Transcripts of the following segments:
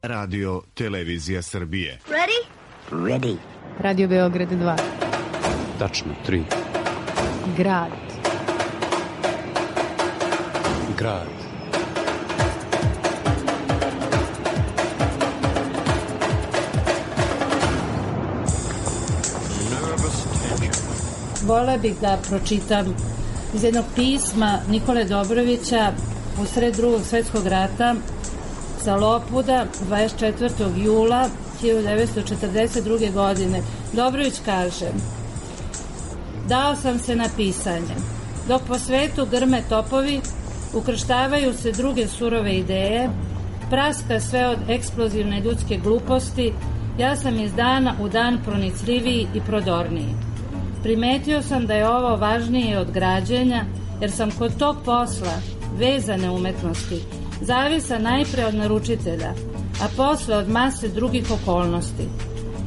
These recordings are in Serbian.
Radio Televizija Srbije. Ready? Ready. Radio Beograd 2. Tačno, 3. Grad. Grad. Volela bih da pročitam iz jednog pisma Nikole Dobrovića u sred Drugog svjetskog rata sa Lopuda 24. jula 1942. godine. Dobrović kaže: dao sam se na pisanje. Dok po svetu grme topovi, ukrštavaju se druge surove ideje, praska sve od eksplozivne ljudske gluposti, ja sam iz dana u dan pronicljiviji i prodorniji. Primetio sam da je ovo važnije od građenja, jer sam kod tog posla, vezane umetnosti, zavisa najpre od naručitelja, a posle od mase drugih okolnosti.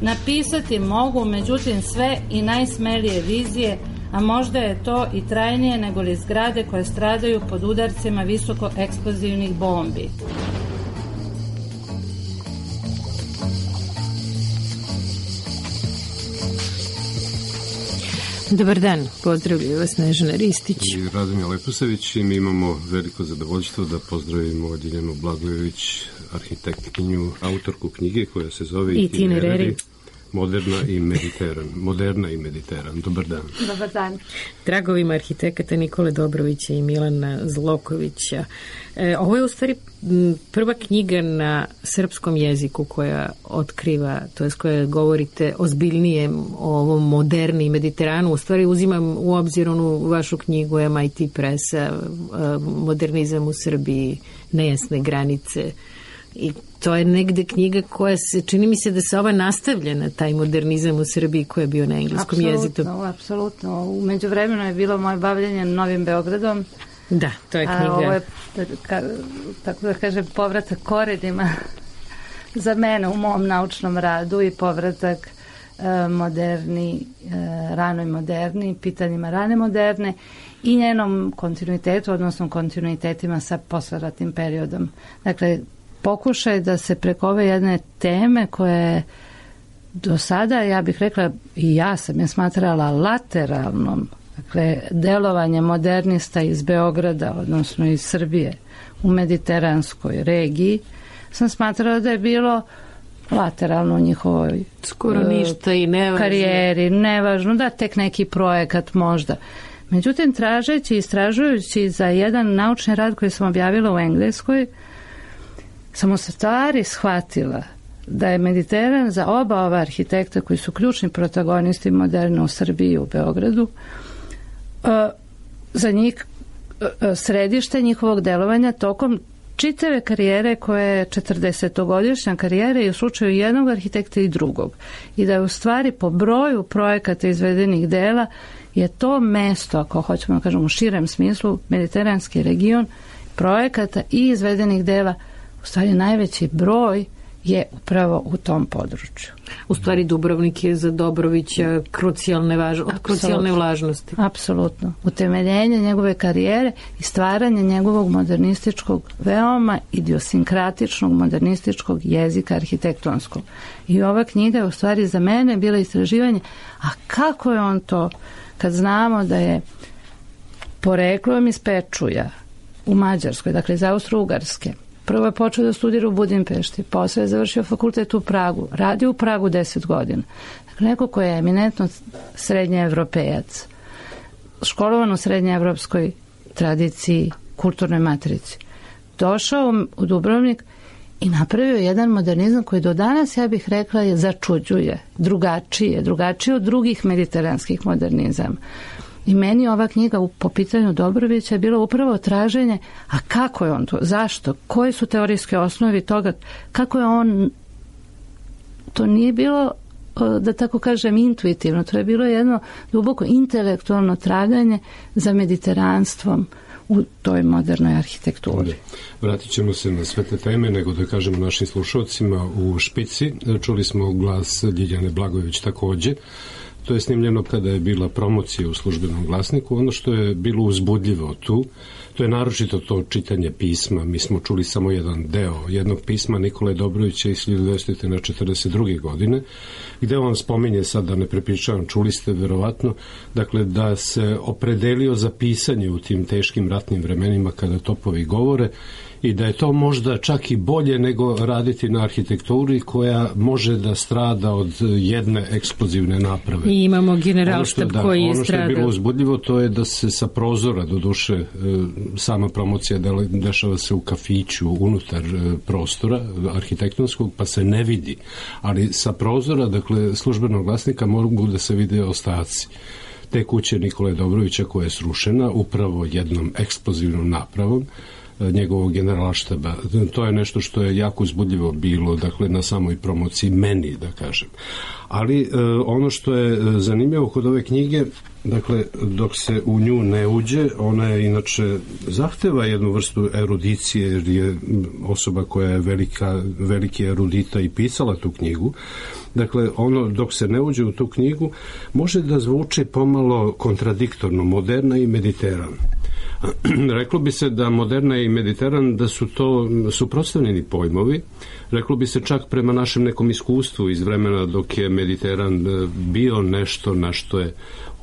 Napisati mogu, međutim, sve i najsmelije vizije, a možda je to i trajnije nego li zgrade koje stradaju pod udarcima visoko eksplozivnih bombi. Dobar dan, pozdravljaju vas Snežana Ristić i Radomir Leposavić i mi imamo veliko zadovoljstvo da pozdravimo Ljiljanu Blagojević, arhitektkinju, autorku knjige koja se zove Itinerari, Moderna i Mediteran. Dobar dan. Dobar dan. Dragovima arhitekata Nikole Dobrovića i Milana Zlokovića. Ovo je u stvari prva knjiga na srpskom jeziku koja otkriva, to jest koja govorite ozbiljnije o ovom moderni i Mediteranu. U stvari uzimam u obzir onu vašu knjigu MIT Pressa, Modernizam u Srbiji, nejasne granice. I to je negde knjiga koja se, čini mi se da se ova nastavlja na taj modernizam u Srbiji koji je bio na engleskom jeziku. Apsolutno. U međuvremenu je bilo moje bavljenje Novim Beogradom. Da, to je knjiga. A ovo je, tako da kažem, povratak korenima za mene u mom naučnom radu i povratak ranoj moderni, pitanjima rane moderne i njenom kontinuitetu, odnosno kontinuitetima sa posleratnim periodom. Dakle, pokušaj da se preko ove jedne teme koje do sada, ja bih rekla, i ja sam je smatrala lateralnom, dakle, delovanje modernista iz Beograda, odnosno iz Srbije u mediteranskoj regiji, sam smatrala da je bilo lateralno u njihovoj skoro ništa i nevažno. Karijeri, nevažno, da tek neki projekat možda. Međutim, tražeći i istražujući za jedan naučni rad koji sam objavila u Engleskoj, sam u stvari shvatila da je Mediteran za oba ova arhitekta koji su ključni protagonisti moderne u Srbiji i u Beogradu, za njih središte njihovog delovanja tokom čitave karijere koja je 40-godišnja karijera i u slučaju jednog arhitekta i drugog. I da je u stvari po broju projekata izvedenih dela je to mesto, ako hoćemo da kažemo u širem smislu, mediteranski region projekata i izvedenih dela, u stvari najveći broj je upravo u tom području. U stvari Dubrovnik je za Dobrovića krucijalne važnosti. Apsolutno. Utemeljenje njegove karijere i stvaranje njegovog modernističkog, veoma idiosinkratičnog modernističkog jezika arhitektonskog. I ova knjiga je u stvari za mene bila istraživanje, a kako je on to, kad znamo da je poreklom iz Pečuja u Mađarskoj, dakle iz Austro-Ugarske. Prvo je počeo da studira u Budimpešti, posle je završio fakultet u Pragu, radio u Pragu 10 godina. Dakle, neko ko je eminentno srednjeevropejac, školovan u srednjeevropskoj tradiciji, kulturnoj matrici, došao u Dubrovnik i napravio jedan modernizam koji do danas, ja bih rekla, je začuđuje, drugačije od drugih mediteranskih modernizama. I meni ova knjiga po pitanju Dobrovića je bilo upravo traženje, a kako je on to, zašto, koje su teorijske osnovi toga, kako je on, to nije bilo, da tako kažem, intuitivno, to je bilo jedno duboko intelektualno traganje za mediteranstvom u toj modernoj arhitekturi. Vratit ćemo se na sve te teme, nego da kažemo našim slušalcima u špici. Čuli smo glas Ljiljane Blagojević takođe. To je snimljeno kada je bila promocija u Službenom glasniku. Ono što je bilo uzbudljivo tu, to je naročito to čitanje pisma. Mi smo čuli samo jedan deo jednog pisma Nikole Dobrovića iz 1942. godine, gde on spominje, sad da ne prepričavam, čuli ste verovatno, dakle da se opredelio za pisanje u tim teškim ratnim vremenima kada topovi govore i da je to možda čak i bolje nego raditi na arhitekturi koja može da strada od jedne eksplozivne naprave. I imamo generalštab koji je stradao. Ono što je bilo uzbudljivo, to je da se sa prozora, doduše sama promocija dešava se u kafiću unutar prostora arhitektonskog, pa se ne vidi, ali sa prozora, dakle Službenog glasnika, mogu da se vide ostaci te kuće Nikole Dobrovića koja je srušena upravo jednom eksplozivnom napravom njegovog generalštaba. To je nešto što je jako uzbudljivo bilo, dakle, na samoj promociji meni, da kažem. Ali ono što je zanimljivo kod ove knjige, dakle, dok se u nju ne uđe, ona je inače zahteva jednu vrstu erudicije, jer je osoba koja je veliki erudita i pisala tu knjigu. Dakle, ono dok se ne uđe u tu knjigu može da zvuči pomalo kontradiktorno, moderna i mediteran. Reklo bi se da moderna i mediteran da su to suprotstavljeni pojmovi. Reklo bi se čak prema našem nekom iskustvu iz vremena dok je Mediteran bio nešto na što je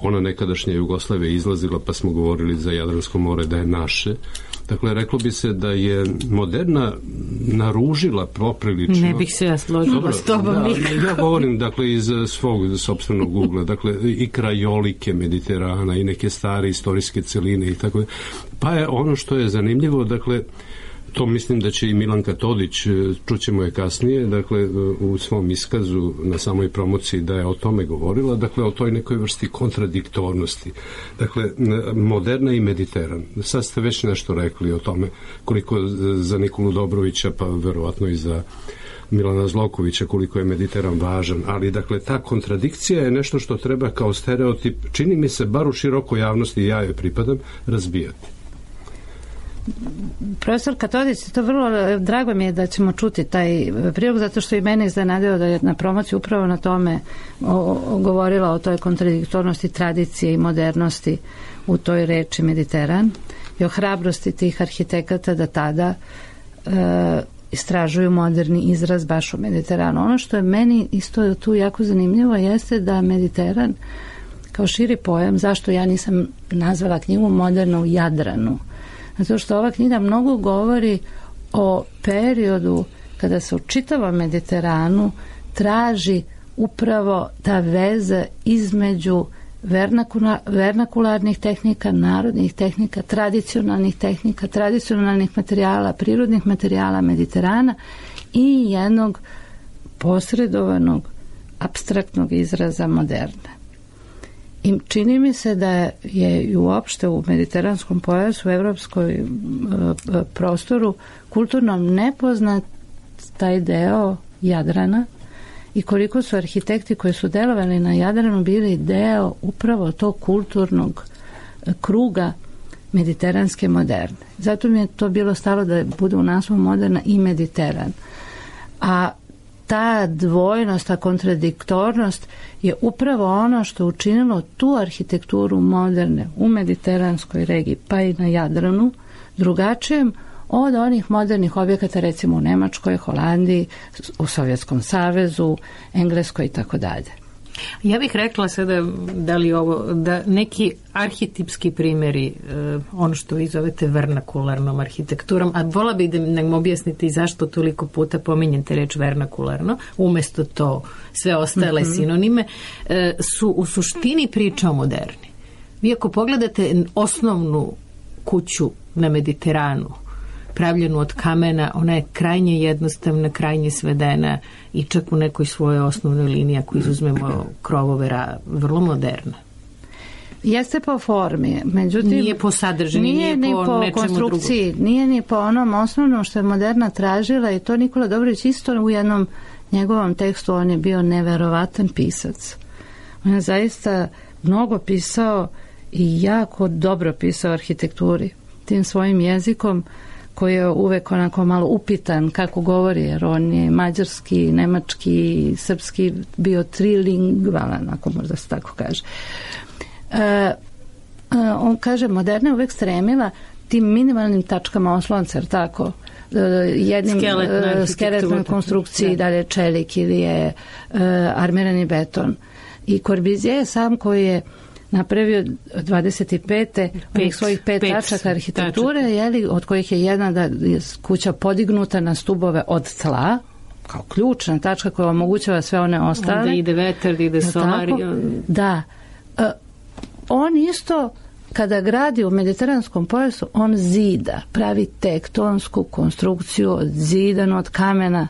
ona nekadašnja Jugoslavija izlazila, pa smo govorili za Jadransko more da je naše. Dakle, reklo bi se da je moderna naružila poprilično. Ne bih se ja složila s tobom. Ja govorim, dakle, iz svog sopstvenog ugla. Dakle, i krajolike Mediterana i neke stare istorijske celine i tako. Pa je ono što je zanimljivo, dakle, to mislim da će i Milanka Todić, čućemo je kasnije, dakle, u svom iskazu na samoj promociji da je o tome govorila, dakle, o toj nekoj vrsti kontradiktornosti. Dakle, moderna i mediteran. Sad ste već nešto rekli o tome, koliko za Nikolu Dobrovića, pa verovatno i za Milana Zlokovića, koliko je Mediteran važan, ali dakle ta kontradikcija je nešto što treba kao stereotip, čini mi se, bar u širokoj javnosti, ja joj pripadam, razbijati. Profesor Katodić, to vrlo drago mi je da ćemo čuti taj prilog, zato što i mene iznenadio da je na promociji upravo na tome govorila o toj kontradiktornosti tradicije i modernosti u toj reči Mediteran i o hrabrosti tih arhitekata da tada istražuju moderni izraz baš u Mediteranu. Ono što je meni isto tu jako zanimljivo jeste da Mediteran kao širi pojam, zašto ja nisam nazvala knjigu Moderna u Jadranu, zato što ova knjiga mnogo govori o periodu kada se u čitavom Mediteranu traži upravo ta veza između vernakularnih tehnika, narodnih tehnika, tradicionalnih materijala, prirodnih materijala Mediterana i jednog posredovanog apstraktnog izraza moderne. I čini mi se da je i uopšte u mediteranskom pojasu, u evropskoj prostoru, kulturno nepoznat taj deo Jadrana i koliko su arhitekti koji su delovali na Jadranu bili deo upravo tog kulturnog kruga mediteranske moderne. Zato mi je to bilo stalo da bude u naslovu Moderna i Mediteran. A ta dvojnost, ta kontradiktornost je upravo ono što učinilo tu arhitekturu moderne u mediteranskoj regiji, pa i na Jadranu, drugačijem od onih modernih objekata, recimo u Nemačkoj, Holandiji, u Sovjetskom savezu, Engleskoj i tako dalje. Ja bih rekla sada da neki arhetipski primjeri, ono što vi zovete vernakularnom arhitekturom, a vola bih da nam objasnite i zašto toliko puta pominjete reč vernakularno, umjesto to sve ostale sinonime, su u suštini priča o moderni. Vi ako pogledate osnovnu kuću na Mediteranu, pravljenu od kamena, ona je krajnje jednostavna, krajnje svedena i čak u nekoj svojoj osnovnoj liniji, ako izuzmemo krovove, vrlo moderna. Jeste po formi, međutim nije po sadržini, nije po konstrukciji, drugom. Nije ni po onom osnovnom što je moderna tražila, i to Nikola Dobrović isto u jednom njegovom tekstu, on je bio neverovatan pisac. On je zaista mnogo pisao i jako dobro pisao o arhitekturi. Tim svojim jezikom koji je uvek onako malo upitan kako govori, jer on je mađarski, nemački, srpski, bio trilingvalan, ako možda se tako kaže. On kaže, moderna je uvek stremila tim minimalnim tačkama oslonca, jer tako, jednim skeletnoj konstrukciji, da li je čelik ili je armirani beton. I Corbusier je sam koji je napravio 25. svojih 5 tačaka arhitekture, jeli, od kojih je jedna da je kuća podignuta na stubove od tla, kao ključna tačka koja omogućava sve one ostale. Onda ide vetar, ide solar. Da. On isto, kada gradi u mediteranskom pojasu, on zida, pravi tektonsku konstrukciju od zidanu od kamena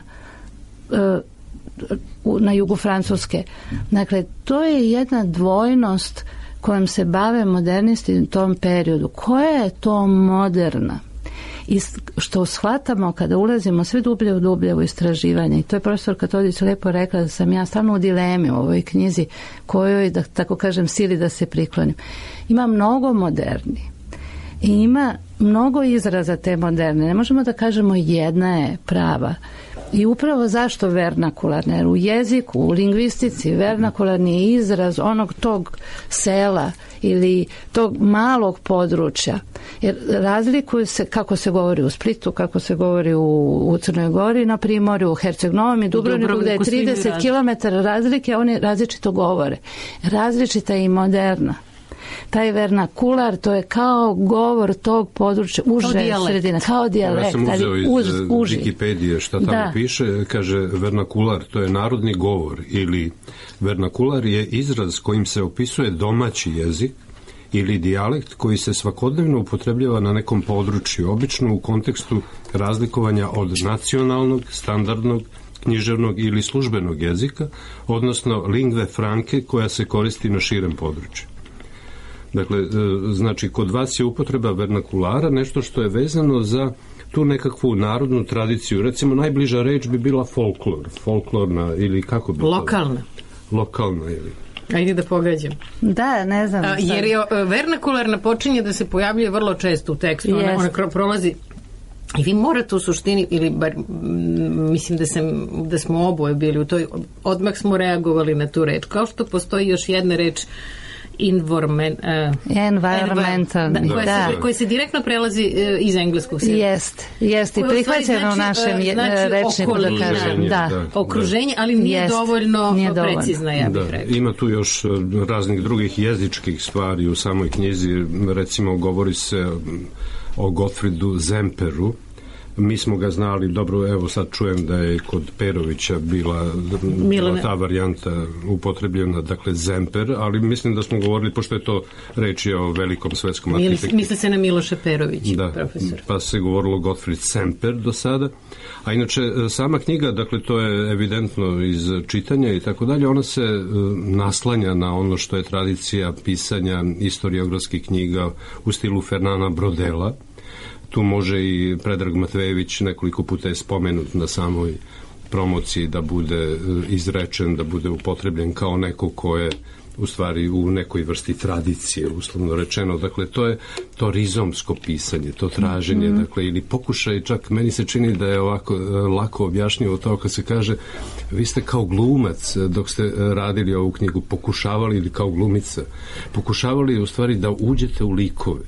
na jugu Francuske. Dakle, to je jedna dvojnost kojom se bave modernisti u tom periodu. Koja je to moderna? I što shvatamo kada ulazimo sve dublje u istraživanje, i to je profesor Katodić lepo rekla da sam ja stalno u dilemi u ovoj knjizi kojoj, da tako kažem, sili da se priklonim. Ima mnogo moderni i ima mnogo izraza te moderne. Ne možemo da kažemo jedna je prava. I upravo zašto vernakularna? Jer u jeziku, u lingvistici vernakularni je izraz onog tog sela ili tog malog područja. Jer razlikuje se kako se govori u Splitu, kako se govori u Crnoj Gori, na Primorju, u Herceg-Novom i Dubrovniku, gde je 30 km razlike, oni različito govore. Različita je i moderna. Taj vernakular, to je kao govor tog područja, uže sredina, kao dijalekt. Ja sam uzeo iz Wikipedije šta tamo piše, kaže vernakular, to je narodni govor, ili vernakular je izraz kojim se opisuje domaći jezik ili dijalekt koji se svakodnevno upotrebljava na nekom području, obično u kontekstu razlikovanja od nacionalnog, standardnog, književnog ili službenog jezika, odnosno lingve franke koja se koristi na širem području. Dakle, znači, kod vas je upotreba vernakulara nešto što je vezano za tu nekakvu narodnu tradiciju. Recimo, najbliža reč bi bila folklor. Folklorna ili kako bi lokalna. Lokalna ili... Ajde da pogađam. Da, ne znam. Jer je vernakularna počinje da se pojavljuje vrlo često u tekstu. Ona prolazi. I vi morate u suštini, ili bar mislim da smo oboje bili u toj, odmah smo reagovali na tu reč. Kao što postoji još jedna reč environmental, koji se direktno prelazi iz engleskog svijeta. Jest i prihvaćeno u našem rečniku, da kažem. Okruženje, ali nije dovoljno precizna, ja bih rekla. Ima tu još raznih drugih jezičkih stvari u samoj knjizi. Recimo, govori se o Gottfriedu Semperu. Mi smo ga znali, dobro, evo sad čujem da je kod Perovića bila ta varijanta upotrebljena, dakle Semper, ali mislim da smo govorili, pošto je to reč je o velikom svetskom arhitektu. Misli se na Miloša Perovića, profesor. Pa se govorilo Gottfried Semper do sada. A inače, sama knjiga, dakle, to je evidentno iz čitanja i tako dalje, ona se naslanja na ono što je tradicija pisanja historiografskih knjiga u stilu Fernana Brodela. Tu može i Predrag Matvejević, nekoliko puta je spomenut na samoj promociji, da bude izrečen, da bude upotrebljen kao neko ko je u stvari u nekoj vrsti tradicije, uslovno rečeno. Dakle, to je to rizomsko pisanje, to traženje, dakle, ili pokušaj, čak meni se čini da je ovako lako objašnjivo to kad se kaže, vi ste kao glumac dok ste radili ovu knjigu, pokušavali, ili kao glumica, pokušavali u stvari da uđete u likove,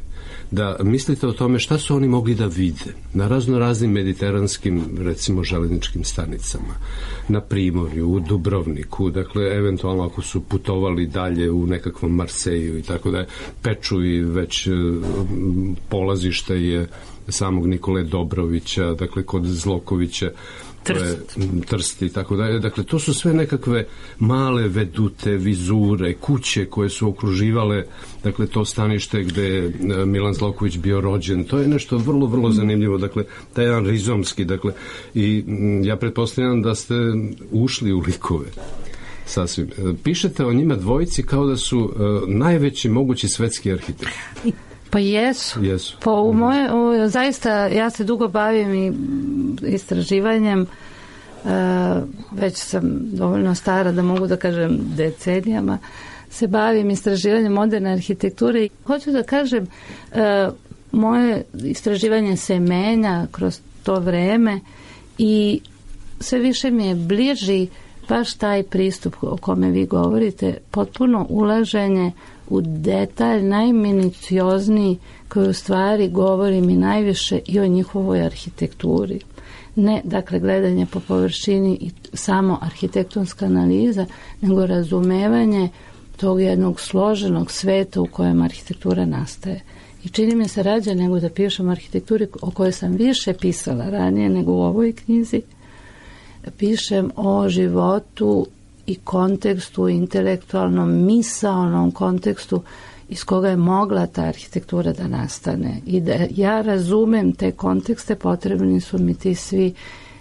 da mislite o tome šta su oni mogli da vide na raznim mediteranskim, recimo, železničkim stanicama, na Primorju, u Dubrovniku, dakle, eventualno ako su putovali dalje u nekakvom Marseju i tako da je, Peču i već polazište je samog Nikole Dobrovića, dakle, kod Zlokovića, Trst i tako dalje. Dakle, to su sve nekakve male vedute, vizure, kuće koje su okruživale, dakle, to stanište gde je Milan Zloković bio rođen. To je nešto vrlo, vrlo zanimljivo. Dakle, taj jedan rizomski, dakle, i ja pretpostavljam da ste ušli u likove. Sasvim. Pišete o njima dvojici kao da su najveći mogući svetski arhitekti. Pa jesu. Zaista, ja se dugo bavim i istraživanjem, već sam dovoljno stara da mogu da kažem decenijama, se bavim istraživanjem moderne arhitekture i hoću da kažem, moje istraživanje se menja kroz to vreme i sve više mi je bliži baš taj pristup o kome vi govorite, potpuno ulaženje u detalj najminiciozniji koji u stvari govori mi najviše i o njihovoj arhitekturi. Ne, dakle, gledanje po površini i samo arhitektonska analiza, nego razumevanje tog jednog složenog sveta u kojem arhitektura nastaje. I čini mi se rađe nego da pišem o arhitekturi o kojoj sam više pisala ranije nego u ovoj knjizi. Pišem o životu i kontekstu, intelektualnom, misaonom kontekstu iz koga je mogla ta arhitektura da nastane. I da ja razumem te kontekste, potrebni su mi ti svi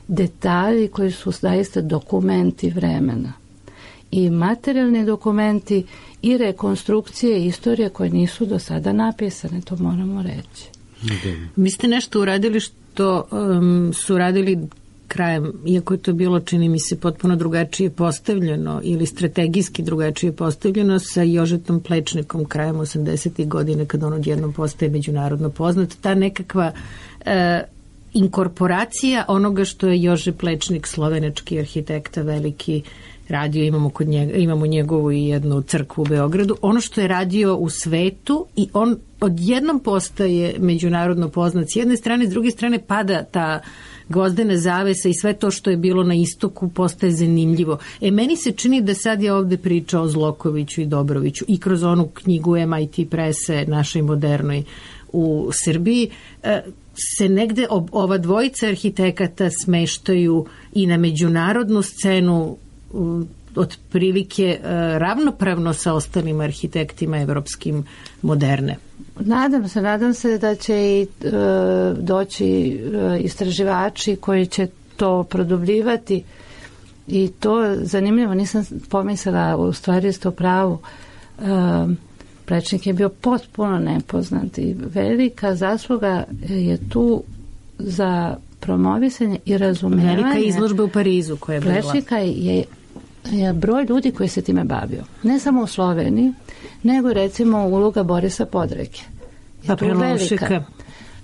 detalji koji su zaista dokumenti vremena. I materijalni dokumenti i rekonstrukcije istorije koje nisu do sada napisane, to moramo reći. Vi ste nešto uradili što su radili krajem, iako je to bilo, čini mi se, potpuno drugačije postavljeno ili strategijski drugačije postavljeno sa Jožetom Plečnikom krajem 80. godine kada on odjednom postaje međunarodno poznat. Ta nekakva inkorporacija onoga što je Jože Plečnik, slovenački arhitekta, veliki radio, imamo njegovu i jednu crkvu u Beogradu, ono što je radio u svetu i on odjednom postaje međunarodno poznat s jedne strane, s druge strane pada ta gvozdena zavesa i sve to što je bilo na istoku postaje zanimljivo. Meni se čini da sad je ovde priča o Zlokoviću i Dobroviću i kroz onu knjigu MIT prese našoj modernoj u Srbiji se negde ova dvojica arhitekata smeštaju i na međunarodnu scenu otprilike ravnopravno sa ostalim arhitektima evropskim moderne. Nadam se da će i doći istraživači koji će to produbljivati i to zanimljivo, nisam pomislila, u stvari ste u pravu. Plečnik je bio potpuno nepoznat i velika zasluga je tu za promovisanje i razumevanje. Velika izložba u Parizu koja je bila. Plečnika je broj ljudi koji se time bavio. Ne samo u Sloveniji, nego recimo uloga Borisa Podreke. Pa Prelovšeka.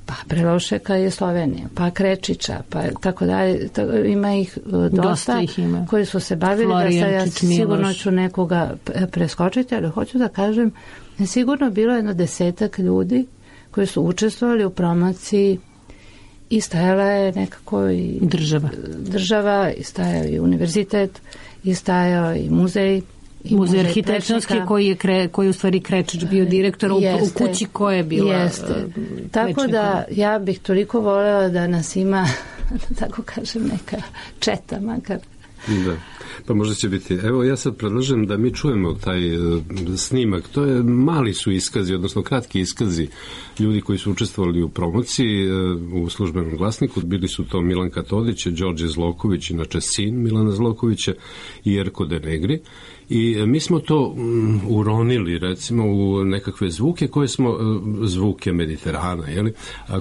Pa Prelovšeka je Slovenija, pa Krečića, pa tako dalje. Ima ih dosta ih ima. Koji su se bavili. Da ja sigurno ću nekoga preskočiti, ali hoću da kažem, sigurno bilo 10 ljudi koji su učestvovali u promociji i stajala je nekako i država i stajao i univerzitet i stajao i muzej. Muzej arhitektonski koji u stvari Krečić bio direktor u kući koja je bila. Jeste. Tako da ja bih toliko voljela da nas ima, tako kažem, neka četa makar. Da. Pa možda će biti. Evo, ja sad predlažem da mi čujemo taj snimak. To je mali su iskazi, odnosno kratki iskazi ljudi koji su učestvovali u promociji u Službenom glasniku. Bili su to Milanka Todić, Đorđe Zloković, inače sin Milana Zlokovića, i Erko de Negri. I mi smo to uronili, recimo, u nekakve zvuke koje smo, zvuke Mediterana,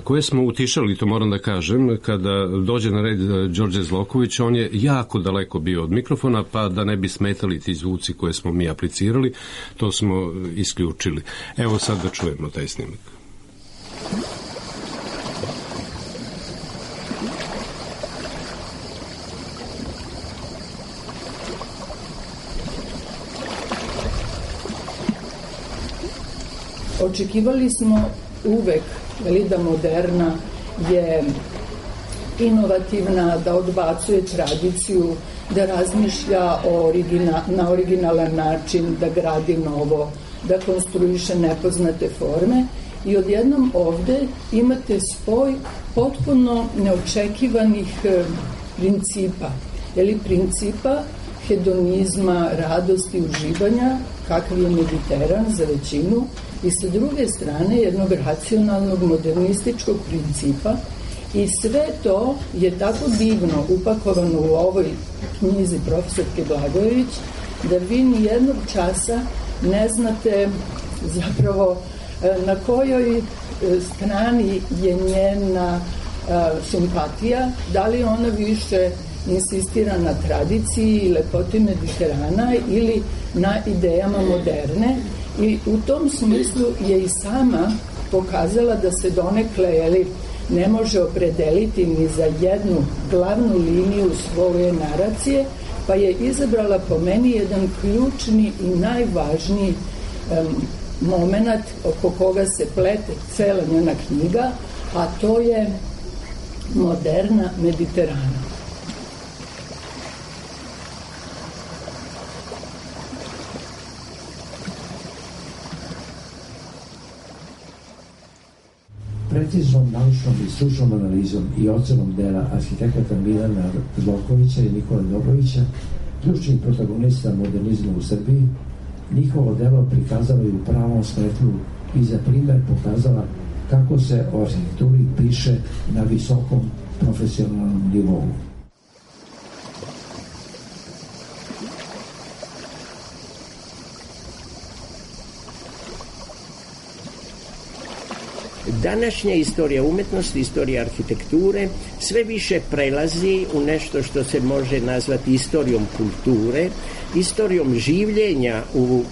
koje smo utišali, to moram da kažem, kada dođe na red Đorđe Zloković, on je jako daleko bio od mikrofona, pa da ne bi smetali ti zvuci koje smo mi aplicirali, to smo isključili. Evo sad da čujemo taj snimak. Očekivali smo uvek da moderna je inovativna, da odbacuje tradiciju, da razmišlja na originalan način, da gradi novo, da konstruiše nepoznate forme. I odjednom ovde imate spoj potpuno neočekivanih principa. Principa hedonizma, radosti, uživanja, kakav je Mediteran za većinu, i sa druge strane jednog racionalnog modernističkog principa, i sve to je tako divno upakovano u ovoj knjizi profesorke Blagojević da vi ni jednog časa ne znate zapravo na kojoj strani je njena simpatija, da li ona više insistira na tradiciji i lepoti Mediterana ili na idejama moderne. I u tom smislu je i sama pokazala da se donekle ne može opredeliti ni za jednu glavnu liniju svoje naracije, pa je izabrala po meni jedan ključni i najvažniji moment oko koga se plete cela njena knjiga, a to je moderna Mediterana. Preciznom naučnom i stručnom analizom i ocenom dela arhitekata Milana Zlotkovića i Nikole Dobrovića, ključnih protagonista modernizma u Srbiji, njihovo delo prikazala i u pravom svetlu i za primer pokazala kako se o arhitekturi piše na visokom profesionalnom nivou. Današnja istorija umetnosti, istorija arhitekture sve više prelazi u nešto što se može nazvati istorijom kulture, istorijom življenja u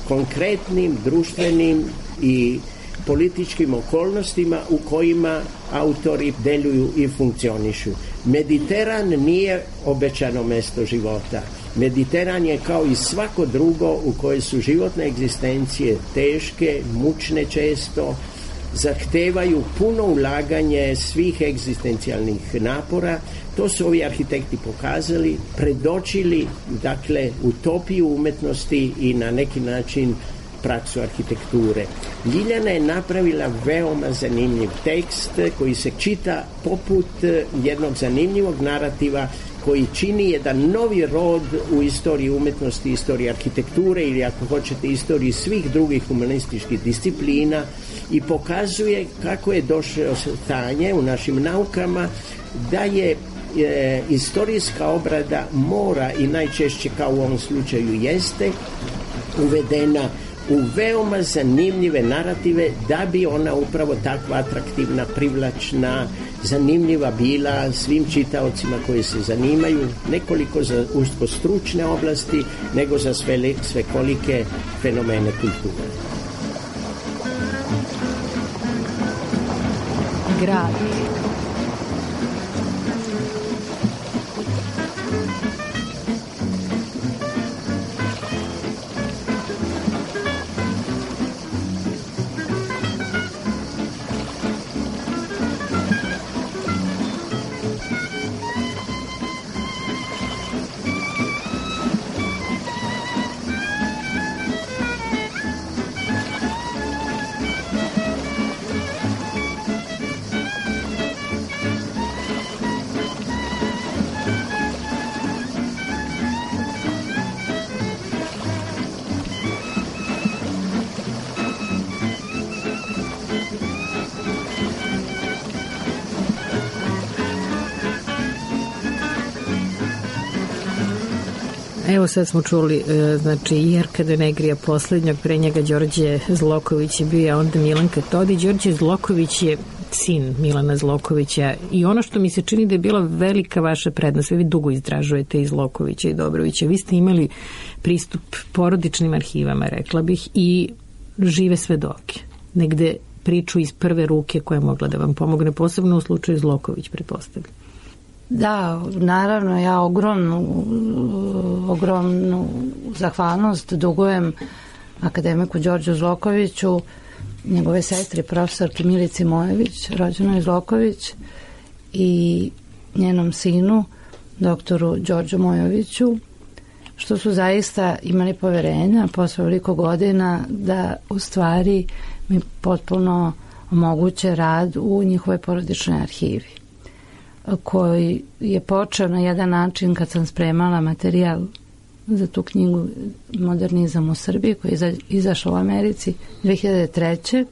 konkretnim društvenim i političkim okolnostima u kojima autori deluju i funkcionišu. Mediteran nije obećano mesto života. Mediteran je kao i svako drugo u koje su životne egzistencije teške, mučne često, zahtevaju puno ulaganje svih egzistencijalnih napora. To su ovi arhitekti pokazali, predočili, dakle, utopiju umetnosti i na neki način praksu arhitekture. Ljiljana je napravila veoma zanimljiv tekst koji se čita poput jednog zanimljivog narativa koji čini jedan novi rod u istoriji umetnosti, istoriji arhitekture ili ako hoćete istoriji svih drugih humanističkih disciplina i pokazuje kako je došlo stanje u našim naukama da je istorijska obrada mora i najčešće kao u ovom slučaju jeste uvedena u veoma zanimljive narative da bi ona upravo takva atraktivna, privlačna, zanimljiva bila svim čitaocima koji se zanimaju nekoliko za usko stručne oblasti nego za svekolike fenomene kulture. Grad. Evo sad smo čuli, znači, Jerka Denegrija poslednjog, pre njega Đorđe Zloković je bio, a onda Milanka Todi. Đorđe Zloković je sin Milana Zlokovića i ono što mi se čini da je bila velika vaša prednost, vi dugo istražujete i Zlokovića i Dobrovića, vi ste imali pristup porodičnim arhivama, rekla bih, i žive svedoke, negde priču iz prve ruke koja je mogla da vam pomogne, posebno u slučaju Zloković, pretpostavljam. Da, naravno, ja ogromnu zahvalnost dugujem akademiku Đorđu Zlokoviću, njegove sestri, profesorki Milici Mojević, rođenoj Zloković, i njenom sinu, doktoru Đorđu Mojoviću, što su zaista imali poverenja posle veliko godina da u stvari mi potpuno omoguće rad u njihove porodičnoj arhivi, koji je počeo na jedan način kad sam spremala materijal za tu knjigu Modernizam u Srbiji, koji je izašao u Americi 2003.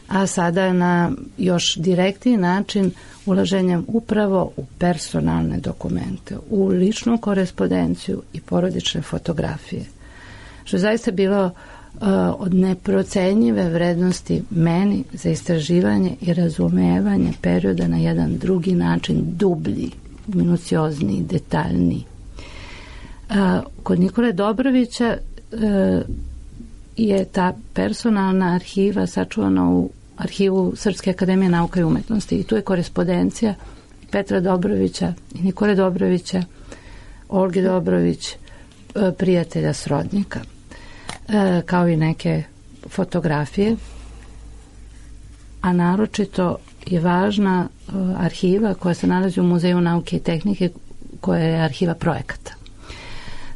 A sada na još direktniji način ulaženjem upravo u personalne dokumente, u ličnu korespondenciju i porodične fotografije, što je zaista bilo od neprocenjive vrednosti meni za istraživanje i razumevanje perioda na jedan drugi način, dublji, minuciozniji, detaljniji. Kod Nikole Dobrovića je ta personalna arhiva sačuvana u arhivu Srpske akademije nauka i umetnosti i tu je korespondencija Petra Dobrovića i Nikole Dobrovića, Olge Dobrović, prijatelja srodnika, kao i neke fotografije, a naročito je važna arhiva koja se nalazi u Muzeju nauke i tehnike, koja je arhiva projekata.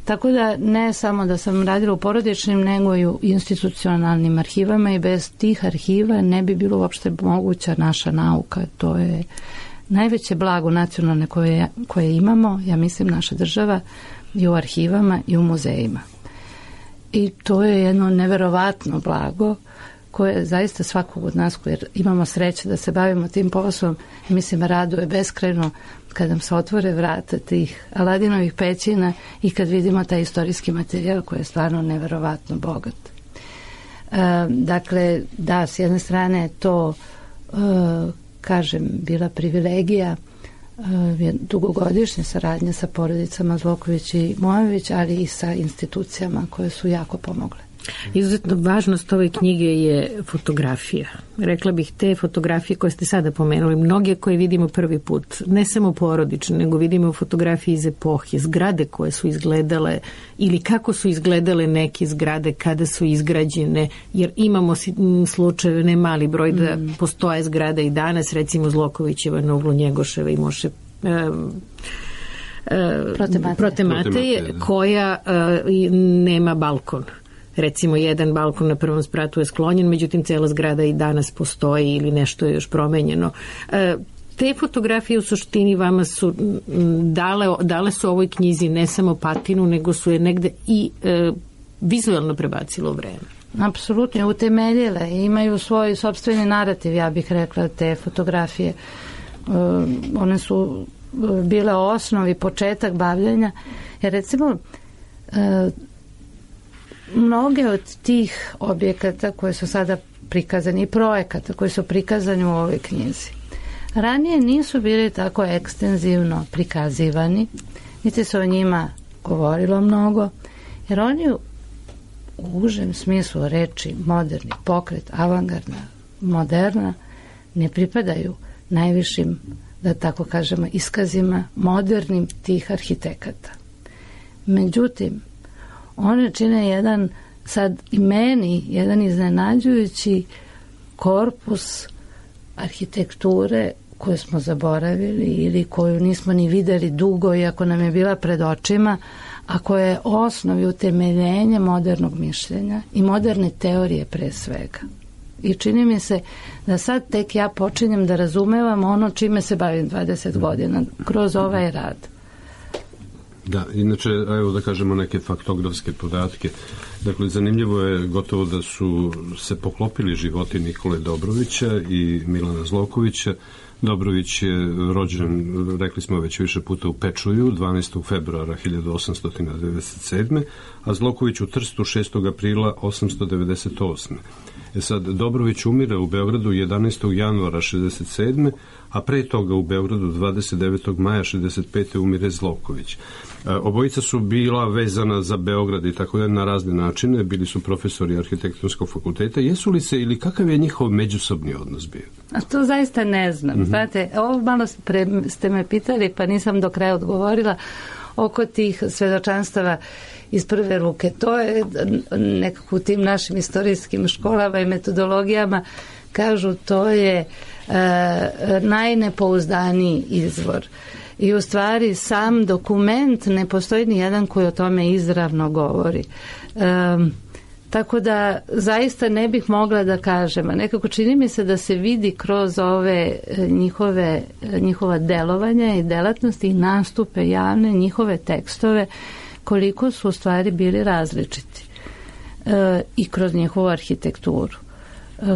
Tako da ne samo da sam radila u porodičnim, nego i u institucionalnim arhivama i bez tih arhiva ne bi bilo uopšte moguća naša nauka. To je najveće blago nacionalne koje imamo, ja mislim naša država, i u arhivama i u muzejima. I to je jedno neverovatno blago koje zaista svakog od nas koji imamo sreće da se bavimo tim poslom, mislim, raduje beskrajno kad nam se otvore vrata tih Aladinovih pećina i kad vidimo taj istorijski materijal koji je stvarno neverovatno bogat. Dakle, da, s jedne strane je to, kažem, bila privilegija dugogodišnje saradnje sa porodicama Zloković i Mojović, ali i sa institucijama koje su jako pomogle. Izuzetno važnost ove knjige je fotografija. Rekla bih te fotografije koje ste sada pomenuli, mnoge koje vidimo prvi put, ne samo porodične, nego vidimo fotografije iz epohe, zgrade koje su izgledale ili kako su izgledale neke zgrade kada su izgrađene, jer imamo slučajeve, ne mali broj, da postoje zgrade i danas, recimo Zlokovićeva na uglu Njegoševa i Moše Protematije, koja nema balkon. Recimo, jedan balkon na prvom spratu je sklonjen, međutim, cela zgrada i danas postoji ili nešto je još promenjeno. Te fotografije u suštini vama su dale su ovoj knjizi ne samo patinu, nego su je negde i vizualno prebacilo u vreme. Apsolutno, utemeljile i imaju svoj sopstveni narativ, ja bih rekla, te fotografije. One su bile osnov i početak bavljenja. Jer recimo, mnoge od tih objekata koje su sada prikazani i projekata koji su prikazani u ovoj knjizi ranije nisu bili tako ekstenzivno prikazivani, niti se o njima govorilo mnogo, jer oni u užem smislu reči moderni pokret, avangardna, moderna, ne pripadaju najvišim, da tako kažemo, iskazima modernim tih arhitekata. Međutim, one čine jedan, sad i meni, jedan iznenađujući korpus arhitekture koju smo zaboravili ili koju nismo ni videli dugo, iako nam je bila pred očima, a koja je osnov i utemeljenje modernog mišljenja i moderne teorije pre svega. I čini mi se da sad tek ja počinjem da razumevam ono čime se bavim 20 godina kroz ovaj rad. Da, inače, evo da kažemo neke faktografske podatke. Dakle, zanimljivo je gotovo da su se poklopili životi Nikole Dobrovića i Milana Zlokovića. Dobrović je rođen, rekli smo već više puta, u Pečuju 12. februara 1897. a Zloković u Trstu 6. aprila 898. Sad, Dobrović umire u Beogradu 11. januara 67. a pre toga u Beogradu 29. maja 65. umire Zloković. Obojica su bila vezana za Beograd i tako da na razne načine, bili su profesori arhitektonskog fakulteta. Jesu li se ili kakav je njihov međusobni odnos bio? A to zaista ne znam. Znate, ovo malo ste me pitali pa nisam do kraja odgovorila oko tih svedočanstava iz prve ruke. To je nekako u tim našim istorijskim školama i metodologijama kažu to je najnepouzdaniji izvor. I u stvari sam dokument ne postoji ni jedan koji o tome izravno govori. Tako da zaista ne bih mogla da kažem, a nekako čini mi se da se vidi kroz ove njihova delovanja i delatnosti i nastupe javne, njihove tekstove, koliko su u stvari bili različiti i kroz njihovu arhitekturu.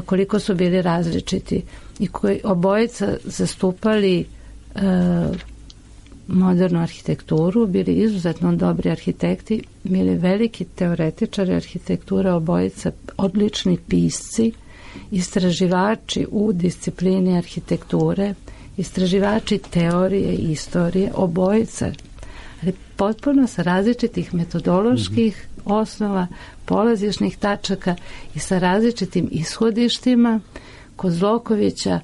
Koliko su bili različiti i koji obojica zastupali modernu arhitekturu, bili izuzetno dobri arhitekti, bili veliki teoretičari arhitekture, obojica odlični pisci, istraživači u disciplini arhitekture, istraživači teorije i istorije, obojica ali potpuno sa različitih metodoloških osnova, polazišnih tačaka i sa različitim ishodištima. Kod Zlokovića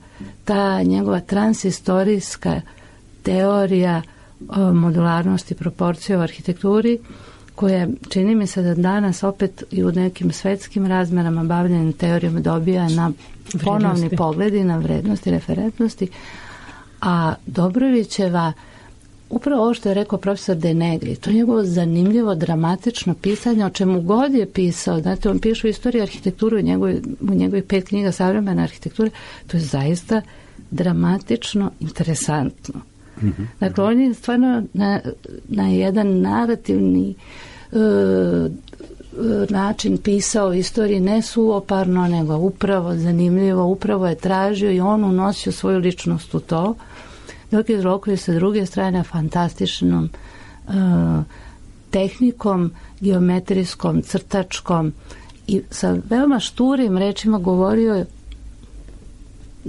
ta njegova transistorijska teorija modularnosti proporcije u arhitekturi, koja čini mi se da danas opet i u nekim svetskim razmerama bavljenim teorijom dobija na ponovni pogled i na vrednosti, referentnosti, a Dobrovićeva, upravo ovo što je rekao profesor De Negri, to je njegovo zanimljivo, dramatično pisanje, o čemu god je pisao, znate, on piše u istoriji arhitekturu u njegovih 5 knjiga savremene arhitekture, to je zaista dramatično, interesantno. Dakle, on je stvarno na jedan narativni način pisao istoriji, ne suoparno, nego upravo zanimljivo, upravo je tražio i on unosio svoju ličnost u to, dok je Zloković sa druge strane fantastičnom tehnikom, geometrijskom, crtačkom i sa veoma šturim rečima govorio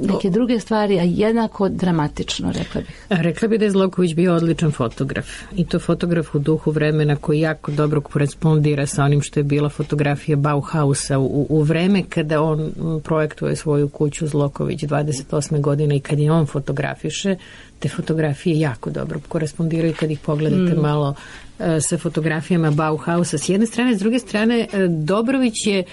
neke druge stvari, a jednako dramatično, rekla bih. Rekla bih da je Zloković bio odličan fotograf. I to fotograf u duhu vremena koji jako dobro korespondira sa onim što je bila fotografija Bauhausa u vreme kada on projektuje svoju kuću Zloković 28. godine i kad je on fotografiše, te fotografije jako dobro korespondiraju kad ih pogledate malo sa fotografijama Bauhausa s jedne strane, s druge strane Dobrović je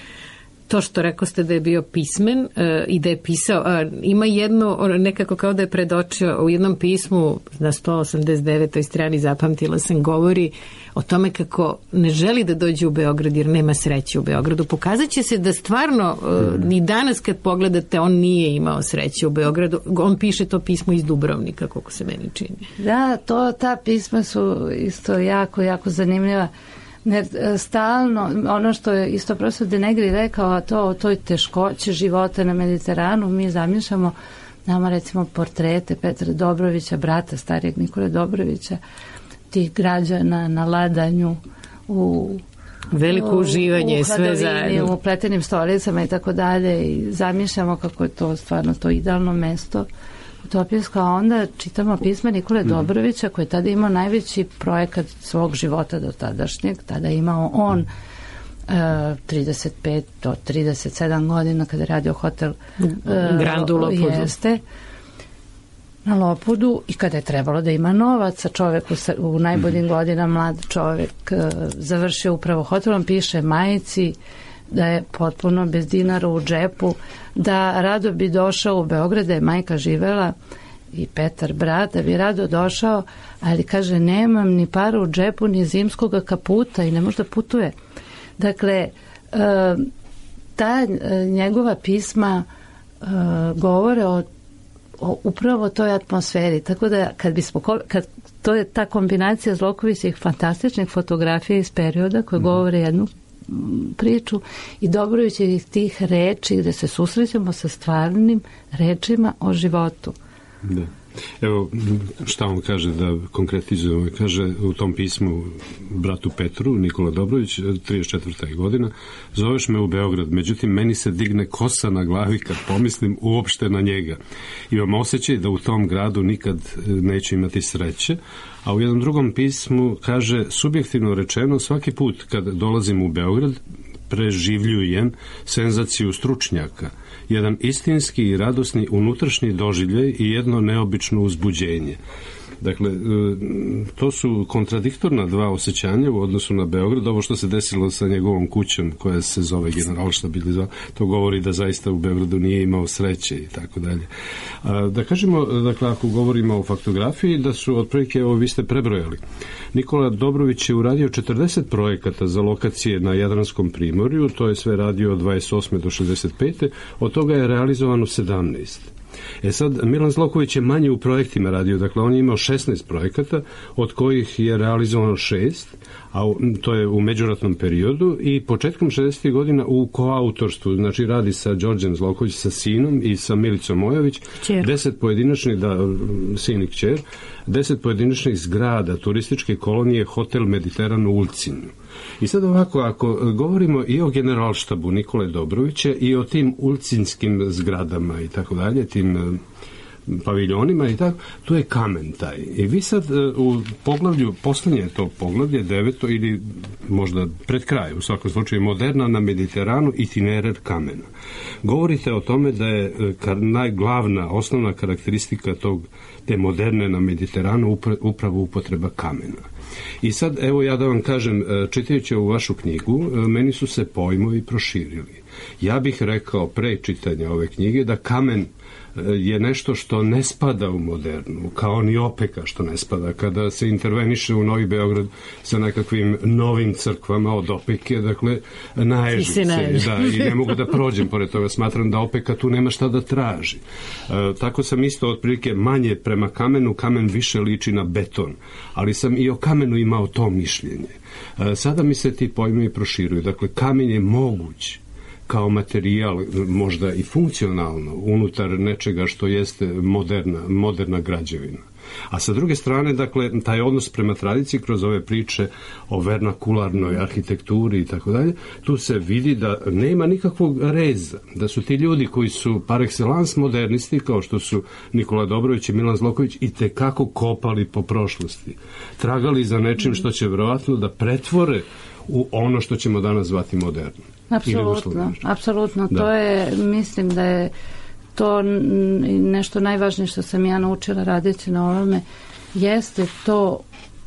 to što rekao ste da je bio pismen i da je pisao, ima jedno nekako kao da je predočio u jednom pismu na 189. strani, zapamtila sam, govori o tome kako ne želi da dođe u Beograd jer nema sreće u Beogradu. Pokazat će se da stvarno ni danas kad pogledate on nije imao sreće u Beogradu. On piše to pismo iz Dubrovnika, koliko se meni čini. Da, ta pisma su isto jako, jako zanimljiva. Stalno, ono što je isto profesor De Negri rekao, o toj teškoći života na Mediteranu, mi zamišljamo nama recimo portrete Petra Dobrovića, brata starijeg Nikole Dobrovića, tih građana na ladanju u veliko uživanje, sve zajedno, u pletenim stolicama i tako dalje, i zamišljamo kako je to stvarno to idealno mesto utopijsko, a onda čitamo pisma Nikole Dobrovića koji je tada imao najveći projekat svog života do tadašnjeg, tada je imao on 35 do 37 godina kada je radio hotel Grand u Lopudu. Jeste, na Lopudu, i kada je trebalo da ima novaca, čovek u najboljim godinama, mlad čovek, završio upravo hotelom, piše majici da je potpuno bez dinara u džepu, da rado bi došao u Beograd, da je majka živela i Petar brat, da bi rado došao, ali kaže nemam ni para u džepu, ni zimskog kaputa i ne može da putuje. Dakle, ta njegova pisma govore o upravo toj atmosferi, tako da kad to je ta kombinacija Zlokovićih fantastičnih fotografija iz perioda koje govore jednu priču i Dobrovićevih tih reči gde se susrećemo sa stvarnim rečima o životu. Da. Evo šta on kaže, da konkretizujemo, kaže u tom pismu bratu Petru, Nikola Dobrović, 34. godina, zoveš me u Beograd, međutim meni se digne kosa na glavi kad pomislim uopšte na njega. Imam osjećaj da u tom gradu nikad neću imati sreće, a u jednom drugom pismu kaže, subjektivno rečeno, svaki put kad dolazim u Beograd preživljujem senzaciju stručnjaka, jedan istinski i radosni unutrašnji doživljaj i jedno neobično uzbuđenje. Dakle, to su kontradiktorna dva osjećanja u odnosu na Beograd. Ovo što se desilo sa njegovom kućom koja se zove Generalštab ili zove, to govori da zaista u Beogradu nije imao sreće i tako dalje. Da kažemo, dakle, ako govorimo o faktografiji, da su otprilike, evo vi ste prebrojali, Nikola Dobrović je uradio 40 projekata za lokacije na Jadranskom primorju, to je sve radio od 28. do 65. Od toga je realizovano 17. Sad, Milan Zloković je manje u projektima radio, dakle on je imao 16 projekata, od kojih je realizovano 6, a to je u međuratnom periodu, i početkom 60. godina u koautorstvu, znači radi sa Đorđem Zloković, sa sinom, i sa Milicom Mojović, 10 pojedinačnih, sin i kćer, 10 pojedinačnih zgrada turističke kolonije Hotel Mediteran u Ulcinju. I sad ovako, ako govorimo i o Generalštabu Nikole Dobrovića i o tim ulcinskim zgradama i tako dalje, tim paviljonima i tako, to je kamen taj. I vi sad u poglavlju, poslednje to poglavlje, 9. ili možda pred kraj, u svakom slučaju, moderna na Mediteranu, itinerar kamena. Govorite o tome da je najglavna, osnovna karakteristika te moderne na Mediteranu upravo upotreba kamena. I sad, evo ja da vam kažem, čitajući ovu vašu knjigu, meni su se pojmovi proširili. Ja bih rekao pre čitanja ove knjige da kamen je nešto što ne spada u modernu, kao ni opeka što ne spada. Kada se interveniše u Novi Beograd sa nekakvim novim crkvama od opeke, dakle, naježim se. Da, i ne mogu da prođem pored toga. Smatram da opeka tu nema šta da traži. Tako sam isto otprilike manje prema kamenu, kamen više liči na beton. Ali sam i o kamenu imao to mišljenje. Sada mi se ti pojmovi proširuju. Dakle, kamen je moguć kao materijal, možda i funkcionalno, unutar nečega što jeste moderna građevina. A sa druge strane, dakle, taj odnos prema tradiciji kroz ove priče o vernakularnoj arhitekturi i tako dalje, tu se vidi da nema nikakvog reza, da su ti ljudi koji su par excellence modernisti, kao što su Nikola Dobrović i Milan Zloković, i tekako kopali po prošlosti. Tragali za nečim što će verovatno da pretvore u ono što ćemo danas zvati moderno. Apsolutno. To je, mislim da je to nešto najvažnije što sam ja naučila radeći na ovome, jeste to,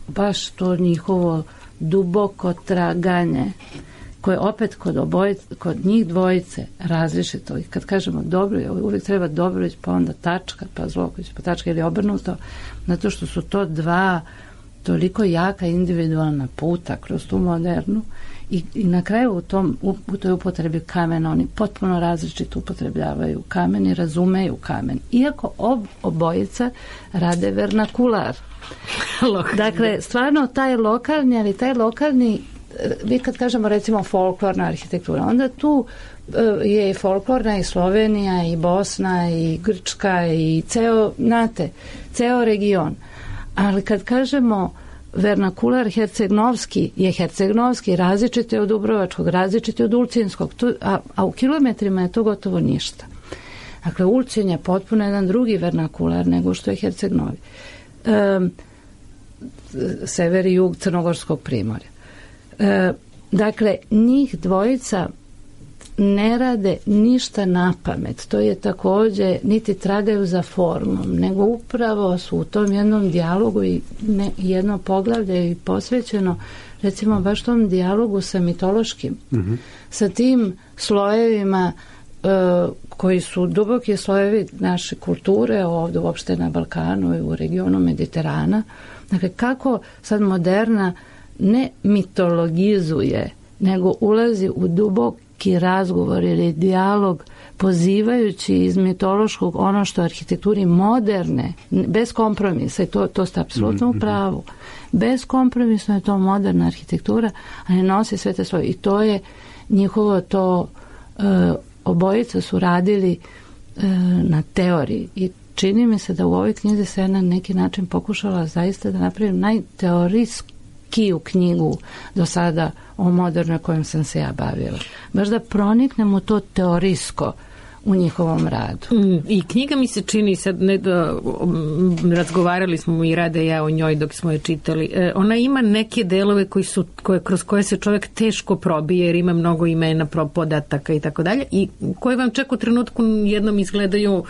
baš to njihovo duboko traganje, koje opet kod njih dvojice različito. I kad kažemo dobro, uvijek treba Dobrović, pa onda tačka, pa Zloković, pa tačka ili obrnuto, zato što su to dva toliko jaka individualna puta kroz tu modernu. I na kraju u toj upotrebi kamena oni potpuno različito upotrebljavaju kamen i razumeju kamen. Iako obojica rade vernakular. Dakle, stvarno taj lokalni, vi kad kažemo recimo folklorna arhitektura, onda tu je folklorna i Slovenija i Bosna i Grčka i ceo region. Ali kad kažemo vernakular hercegnovski je hercegnovski, različit je od dubrovačkog, različit je od ulcinskog, a u kilometrima je to gotovo ništa. Dakle, Ulcin je potpuno jedan drugi vernakular nego što je hercegnovi. Sever i jug Crnogorskog primorja. Dakle, njih dvojica ne rade ništa na pamet. To je također, niti tragaju za formom, nego upravo su u tom jednom dijalogu i jedno poglavlje je posvećeno recimo baš tom dijalogu sa mitološkim. Sa tim slojevima koji su duboki slojevi naše kulture ovdje uopšte na Balkanu i u regionu Mediterana. Dakle, kako sad moderna ne mitologizuje, nego ulazi u duboki razgovor ili dijalog pozivajući iz mitološkog ono što arhitekturi moderne, bez kompromisa, i to ste apsolutno u pravu, bez kompromisa je to moderna arhitektura, a ne nosi sve te svoje. I to je njihovo to, obojica su radili na teoriji i čini mi se da u ovoj knjizi se na neki način pokušala zaista da napravim najteorijskiju knjigu do sada o modernoj kojom sam se ja bavila. Baš da proniknem u to teorijsko u njihovom radu. I knjiga mi se čini, sad razgovarali smo i Rade ja o njoj dok smo je čitali, ona ima neke delove kroz koje se čovjek teško probije jer ima mnogo imena, podataka i tako dalje, i koje vam čak u trenutku jednom izgledaju,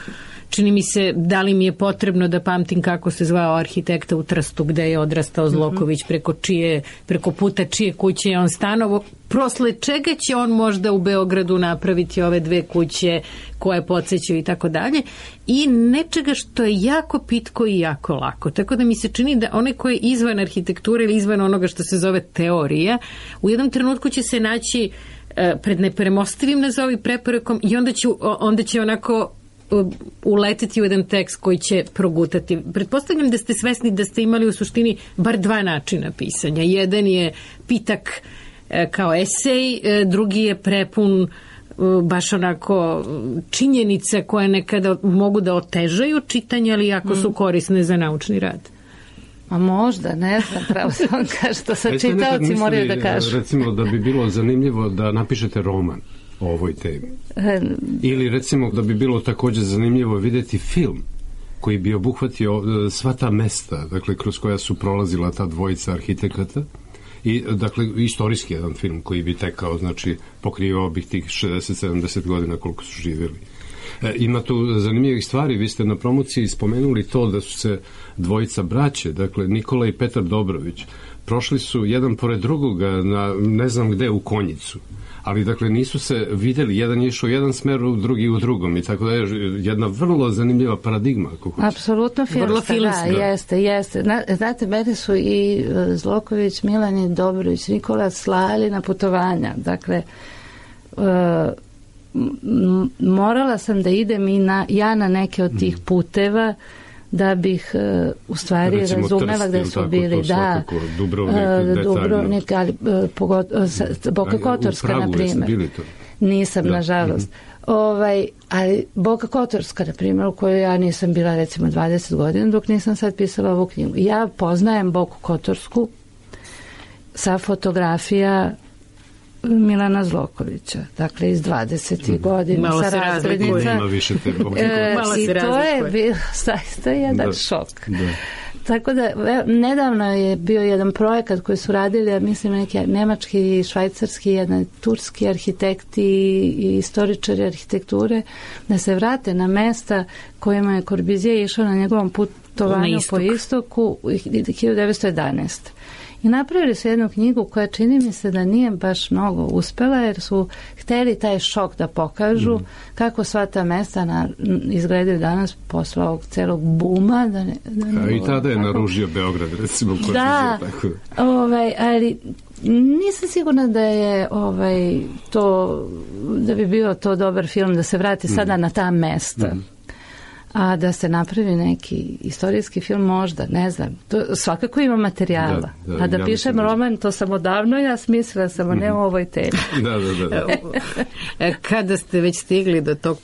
čini mi se, da li mi je potrebno da pamtim kako se zvao arhitekta u Trstu gde je odrastao Zloković, preko puta čije kuće je on stanovo, prosle čega će on možda u Beogradu napraviti ove dve kuće koje podsjećaju i tako dalje, i nečega što je jako pitko i jako lako. Tako da mi se čini da onaj koji je izvan arhitekture ili izvan onoga što se zove teorija, u jednom trenutku će se naći pred nepremostivim nazovi preporekom i onda će onako uletiti u jedan tekst koji će progutati. Pretpostavljam da ste svesni da ste imali u suštini bar dva načina pisanja. Jedan je pitak kao esej, drugi je prepun baš onako činjenice koje nekada mogu da otežaju čitanje, ali jako su korisne za naučni rad. A možda, ne znam, pravo se on kaže, to sad čitaoci moraju da kažu. Recimo da bi bilo zanimljivo da napišete roman o ovoj temi. Ili recimo da bi bilo također zanimljivo vidjeti film koji bi obuhvatio sva ta mesta, dakle, kroz koja su prolazila ta dvojica arhitekata. I, dakle, istorijski jedan film koji bi tekao, znači, pokrivao bih tih 60-70 godina koliko su živjeli. Ima tu zanimljivih stvari, vi ste na promociji spomenuli to da su se dvojica braće, dakle, Nikola i Petar Dobrović, prošli su jedan pored drugoga na ne znam gde u Konjicu, ali dakle nisu se videli, jedan je išao u jedan smer, drugi u drugom i tako da je jedna vrlo zanimljiva paradigma. Apsolutno filmska, da, jeste. Znate, mene su i Zloković, Milan i Dobrović, Nikola slali na putovanja, dakle morala sam da idem i ja na neke od tih puteva da bih u stvari razumela gde su bili. Da, Dubrovnik, ali Boka Kotorska, na primjer. Nisam, nažalost. Ali Boka Kotorska, na primjer, u kojoj ja nisam bila recimo 20 godina dok nisam sad pisala ovu knjigu. Ja poznajem Boku Kotorsku sa fotografija Milana Zlokovića, dakle iz 20. godina sa razglednica. I to je bio zaista jedan šok. Tako da, nedavno je bio jedan projekat koji su radili, ja mislim, neki nemački i švajcarski, jedan turski arhitekti i istoričari arhitekture, da se vrate na mesta kojima je Corbusier išao na njegovom putovanju po istoku 1911. I napravili su jednu knjigu koja čini mi se da nije baš mnogo uspela, jer su hteli taj šok da pokažu kako sva ta mesta izgledaju danas posle ovog celog buma. I tada je naružio Beograd, recimo. Ali nisam sigurna da je da bi bio to dobar film da se vrati sada na ta mesta. A da se napravi neki istorijski film, možda, ne znam. To svakako ima materijala. A da pišem roman, to sam odavno ja smislila, samo ne u ovoj temi. Kada ste već stigli do tog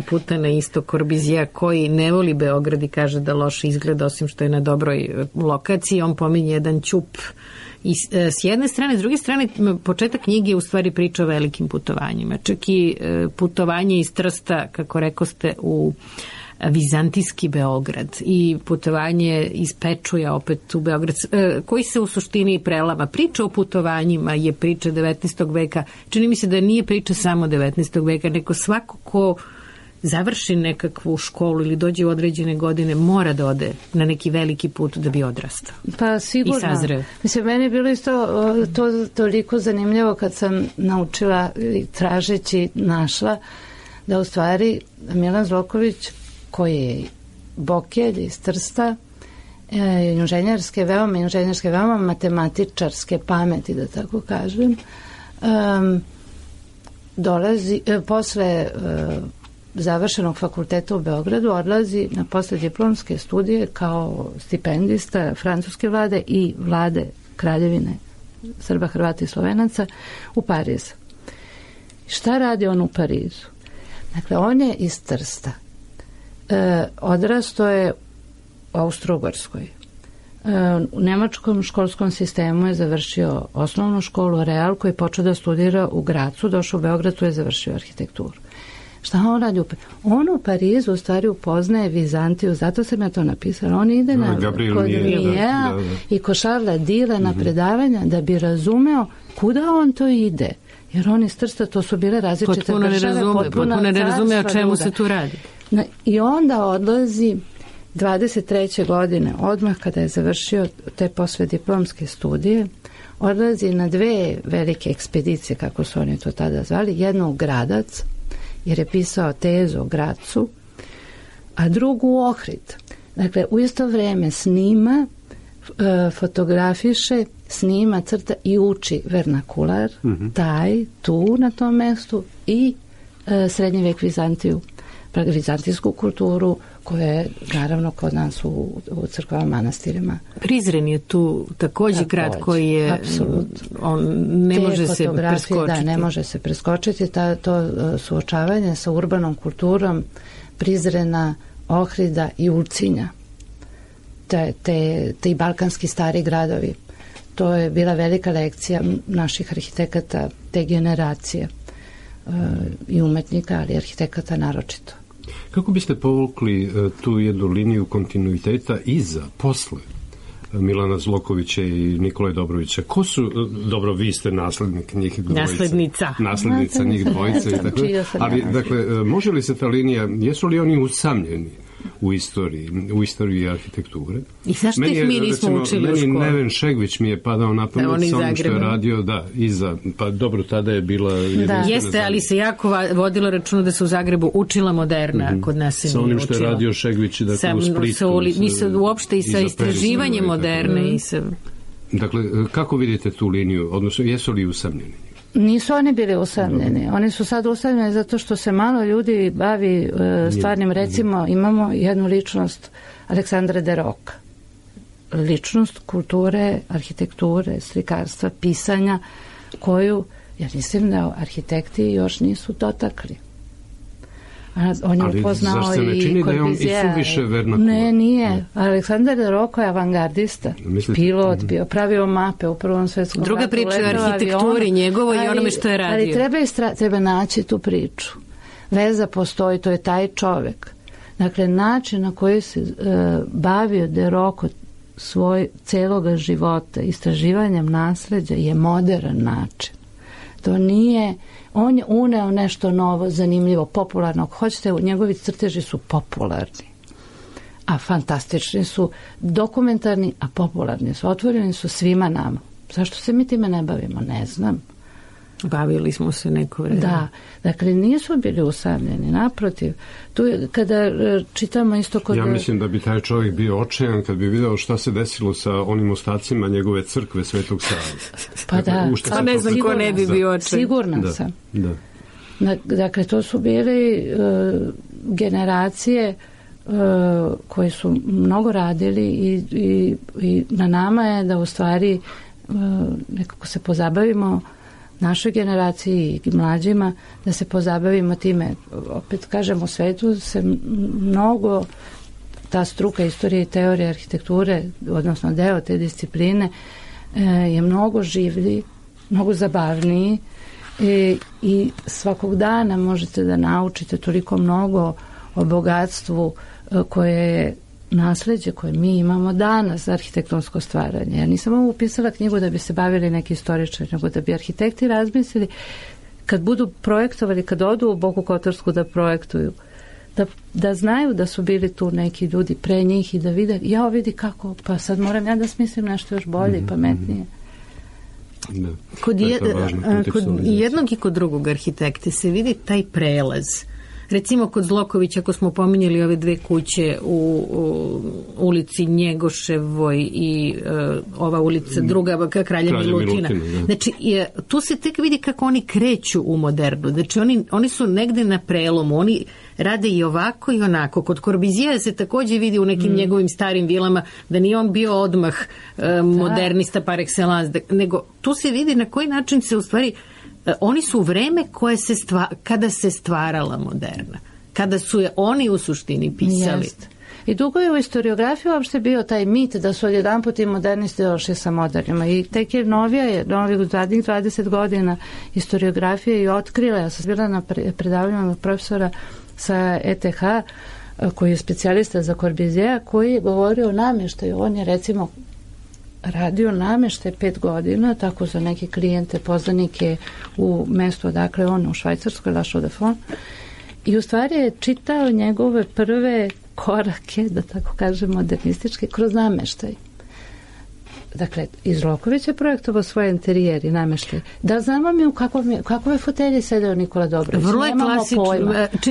puta na istok Corbusiera, koji ne voli Beograd i kaže da loše izgleda, osim što je na dobroj lokaciji, on pominje jedan ćup i s jedne strane, s druge strane, početak knjige je u stvari priča o velikim putovanjima. Čak i putovanje iz Trsta, kako rekoste, u vizantijski Beograd i putovanje iz Pečuja opet u Beograd, koji se u suštini prelama. Priča o putovanjima je priča 19. veka. Čini mi se da nije priča samo 19. veka, nego svako ko završi nekakvu školu ili dođe u određene godine mora da ode na neki veliki put da bi odrastao. Pa sigurno. I sazreo. Mislim, meni je bilo isto to toliko zanimljivo kad sam naučila i tražeći našla da u stvari Milan Zloković, koji je Bokelj iz Trsta, inženjerske veoma matematičarske pameti, da tako kažem, dolazi posle završenog fakulteta u Beogradu, odlazi na poslijediplomske studije kao stipendista francuske vlade i vlade Kraljevine Srba, Hrvata i Slovenaca u Pariz. Šta radi on u Parizu? Dakle, on je iz Trsta. Odrastao je u Austro-Ugarskoj. U nemačkom školskom sistemu je završio osnovnu školu Real, koji je počeo da studira u Gracu, došao u Beograd, tu je završio arhitekturu. Šta on radi? On u Parizu u stvari upoznaje Vizantiju, zato sam ja to napisala. On ide kod Mijeja i kod Šarla Dila na predavanja da bi razumeo kuda on to ide. Jer on iz Trsta, to su bile različite države. Potpuno ne razume o čemu se tu radi. I onda odlazi 23. godine, odmah kada je završio te poslijediplomske studije, odlazi na dve velike ekspedicije, kako su oni to tada zvali, jednu u Gradac, jer je pisao tezu o Gracu, a drugu u Ohrid. Dakle, u isto vreme snima, fotografiše, snima, crta i uči vernakular, tu na tom mestu i srednji vek Vizantiju, vizantijsku kulturu, koja je naravno kod nas u crkvama, manastirima. Prizren je tu također grad koji je on ne može se preskočiti. Da, ne može se preskočiti. To suočavanje sa urbanom kulturom Prizrena, Ohrida i Ulcinja, te balkanski stari gradovi. To je bila velika lekcija naših arhitekata te generacije i umetnika, ali arhitekata naročito. Kako biste povukli tu jednu liniju kontinuiteta iza, posle Milana Zlokovića i Nikole Dobrovića? Ko su, dobro, vi ste naslednik njih dvojice. Naslednica njih dvojice. Ali, dakle, može li se ta linija, jesu li oni usamljeni u istoriji arhitekture? I zašto ih mi nismo učili u školu? Meni Neven Šegvić mi je padao na pamet sa onim što je radio, pa dobro, tada je bila... Jeste, ali se jako vodilo računa da se u Zagrebu učila moderna, kod nas se nije učila. Sa onim što je radio Šegvić, dakle, u Splitu. Mi se uopšte i sa istraživanjem moderne i sa... Dakle, kako vidite tu liniju, odnosno jesu li usamljeni? Nisu oni bili usamljeni. Oni su sad usamljeni zato što se malo ljudi bavi stvarnim. Recimo, imamo jednu ličnost Aleksandra de Roca. Ličnost kulture, arhitekture, slikarstva, pisanja, koju, ja mislim da arhitekti još nisu dotakli. On je upoznao i Corbusier'a. Ali zašto ne čini da je on i suviše vernakular? Ne, nije. Aleksandar de Roca je avangardista. Pilot, bio pravio mape u Prvom svjetskom ratu. Druga priča je o arhitekturi njegovoj i onome što je radio. Ali treba naći tu priču. Veza postoji, to je taj čovek. Dakle, način na koji se bavio de Roca svoj celoga života, istraživanjem nasleđa, je modern način. To nije... On je uneo nešto novo, zanimljivo, popularno. Ako hoćete, njegovi crteži su popularni. A fantastični su, dokumentarni, a popularni su. Otvoreni su svima nama. Zašto se mi time ne bavimo? Ne znam. Bavili smo se neko vreme. Da, dakle nisu bili usamljeni, naprotiv. Tu je, kada čitamo isto kod... Ja mislim da bi taj čovjek bio očajan kad bi video šta se desilo sa onim ostacima njegove crkve Svetog Save. Pa da, pa ne znam ko ne bi bio očajan. Sigurna sam. Dakle, to su bili generacije koji su mnogo radili i na nama je da u stvari nekako se pozabavimo našoj generaciji i mlađima, da se pozabavimo time. Opet kažem, u svetu se mnogo ta struka istorije i teorije arhitekture, odnosno deo te discipline, je mnogo življi, mnogo zabavniji i svakog dana možete da naučite toliko mnogo o bogatstvu koje je nasleđe koje mi imamo danas za arhitektonsko stvaranje. Ja nisam ovo upisala knjigu da bi se bavili neki istoričari, nego da bi arhitekti razmislili kad budu projektovali, kad odu u Boku Kotorsku da projektuju, da znaju da su bili tu neki ljudi pre njih i da vide, vidi kako, pa sad moram ja da smislim nešto još bolje i pametnije. Kod jednog i kod drugog arhitekte se vidi taj prelaz. Recimo kod Zlokovića, ako smo pominjali ove dve kuće u ulici Njegoševoj i ova ulica druga Kralja Milutina. Znači, tu se tek vidi kako oni kreću u modernu. Znači, oni su negde na prelomu. Oni rade i ovako i onako. Kod Corbusier'a se također vidi u nekim njegovim starim vilama da nije on bio odmah modernista par excellence, nego tu se vidi na koji način se u stvari... Oni su vreme kada se stvarala moderna. Kada su je oni u suštini pisali. Jest. I dugo je u historiografiji uopšte bio taj mit da su odjedanput i modernisti došli sa modernima. I tek je novih zadnjih 20 godina historiografije i otkrila. Ja sam bila na predavanju profesora sa ETH koji je specijalista za Corbusier'a, koji je govorio o namještaju. On je recimo radio namještaj 5 godina, tako za neke klijente, poznanike u mestu odakle on, u Švajcarskoj, La Chaux-de-Fonds. I u stvari je čitao njegove prve korake, da tako kažem, modernističke, kroz namještaj. Dakle, iz Zloković je projektovao svoje interijer i namještaj. Da znamo mi u kakove fotelje sedeo Nikola Dobrović. Vrlo je klasično.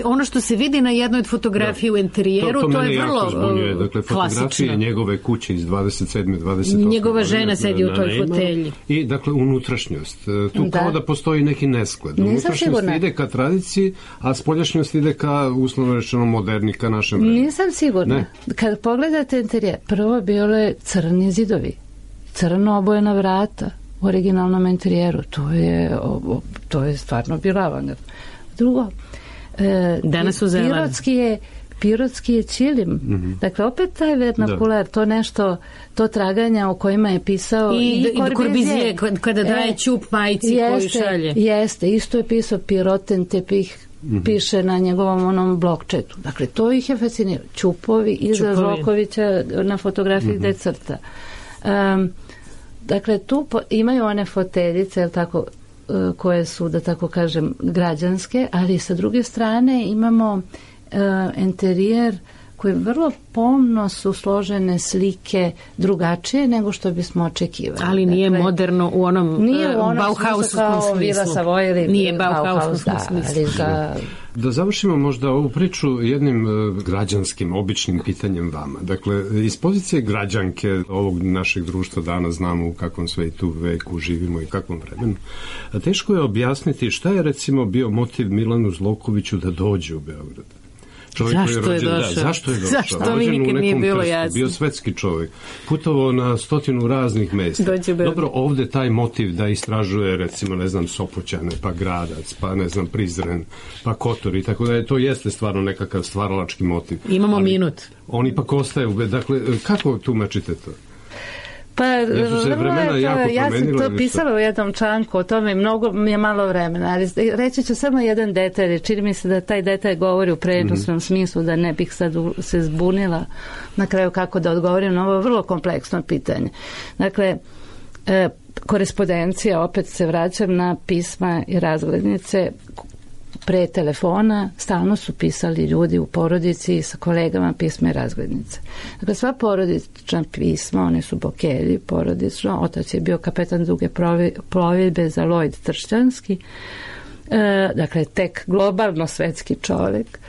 Ono što se vidi na jednoj od fotografije u interijeru, to je vrlo dakle, fotografije njegove kuće iz 27. 28. Njegova žena sedi u toj fotelji. I, dakle, unutrašnjost. Tu kao da postoji neki nesklad. Unutrašnjost ide ka tradiciji, a spoljašnjost ide ka, uslovno rečeno, moderni, ka našem vremenu. Nisam sigurna. Ne. Kad pogledate interijer, prvo bilo je crni zidovi. Crno obojena vrata u originalnom interijeru. To je stvarno bila avangard. Drugo, danas su zeleni. Pirotski je čilim. Dakle, opet taj vernakular, to nešto, to traganja o kojima je pisao i Corbusier'a kada daje ćup majici koju šalje. Jeste, isto je pisao piroten tepih piše na njegovom onom blokčetu. Dakle, to ih je fasciniralo. Ćupovi iza Zlokovića na fotografiji gde crta. Dakle, tu imaju one foteljice, tako, koje su, da tako kažem, građanske, ali sa druge strane imamo enterijer koje vrlo pomno su složene slike drugačije nego što bismo očekivali. Ali nije moderno u onom Bauhausovskom smislu. Nije Bauhausovskom smislu. Da završimo možda ovu priču jednim građanskim, običnim pitanjem vama. Dakle, iz pozicije građanke ovog našeg društva danas znamo u kakvom svetu veku živimo i kakvom vremenu. A teško je objasniti šta je recimo bio motiv Milanu Zlokoviću da dođe u Beograd. Zašto je došao? Zašto mi nikad nije bilo jasno? Bio svetski čovjek, putovao na 100 raznih mesta. Dobro, ovde taj motiv da istražuje, recimo, ne znam, Sopoćane, pa Gradac, pa ne znam, Prizren, pa Kotor i tako da to jeste stvarno nekakav stvaralački motiv. Imamo minut. On ipak ostaje, dakle, kako tumačite to? Pa, ja sam to pisala u jednom članku o tome i mnogo mi je malo vremena, ali reći ću samo jedan detalj, čini mi se da taj detalj govori u prenosnom smislu, da ne bih sad se zbunila na kraju kako da odgovorim na ovo vrlo kompleksno pitanje. Dakle, korespondencija, opet se vraćam na pisma i razglednice, pre telefona stalno su pisali ljudi u porodici sa kolegama pisma i razglednice. Dakle, sva porodična pisma, one su Bokelji porodično, otac je bio kapetan duge plovidbe za Lloyd Tršćanski, dakle, tek globalno svetski čovjek.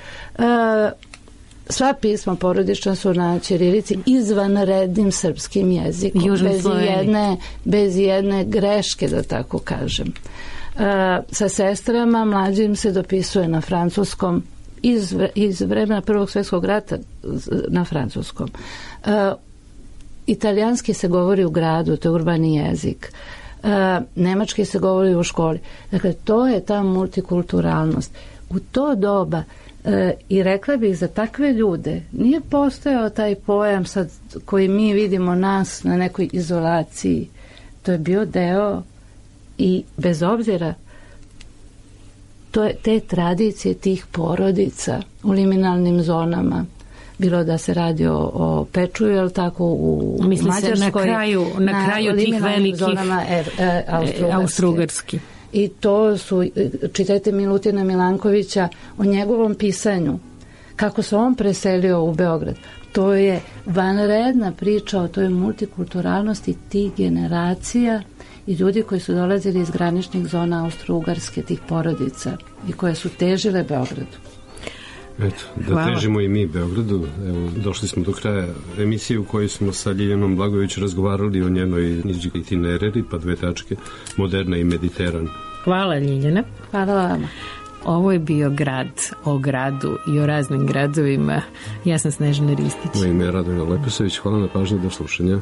Sva pisma porodična su na ćirilici izvanrednim srpskim jezikom, bez jedne greške, da tako kažem. Sa sestrama mlađim se dopisuje na francuskom iz vremena Prvog svjetskog rata na francuskom. Italijanski se govori u gradu, to je urbani jezik. Nemački se govori u školi. Dakle, to je ta multikulturalnost. U to doba i rekla bih za takve ljude nije postojao taj pojam sad koji mi vidimo nas na nekoj izolaciji. To je bio deo i bez obzira te tradicije tih porodica u liminalnim zonama, bilo da se radi o Pečuju, ali tako u Mađarskoj, na kraju tih velikih zonama Austro-Ugarski. I to su, čitajte Milutina Milankovića o njegovom pisanju, kako se on preselio u Beograd. To je vanredna priča o toj multikulturalnosti tih generacija i ljudi koji su dolazili iz graničnih zona Austro-Ugarske, tih porodica i koje su težile Beogradu. Eto, da težimo i mi Beogradu. Evo, došli smo do kraja emisije u kojoj smo sa Ljiljanom Blagojević razgovarali o njenoj itinerari, pa 2 tačke, Moderna i Mediteran. Hvala, Ljiljana. Hvala vama. Ovo je bio Grad o gradu i o raznim gradovima. Ja sam Snežana Ristić. Moje ime je Radovina Leposević. Hvala na pažnji, do slušanja.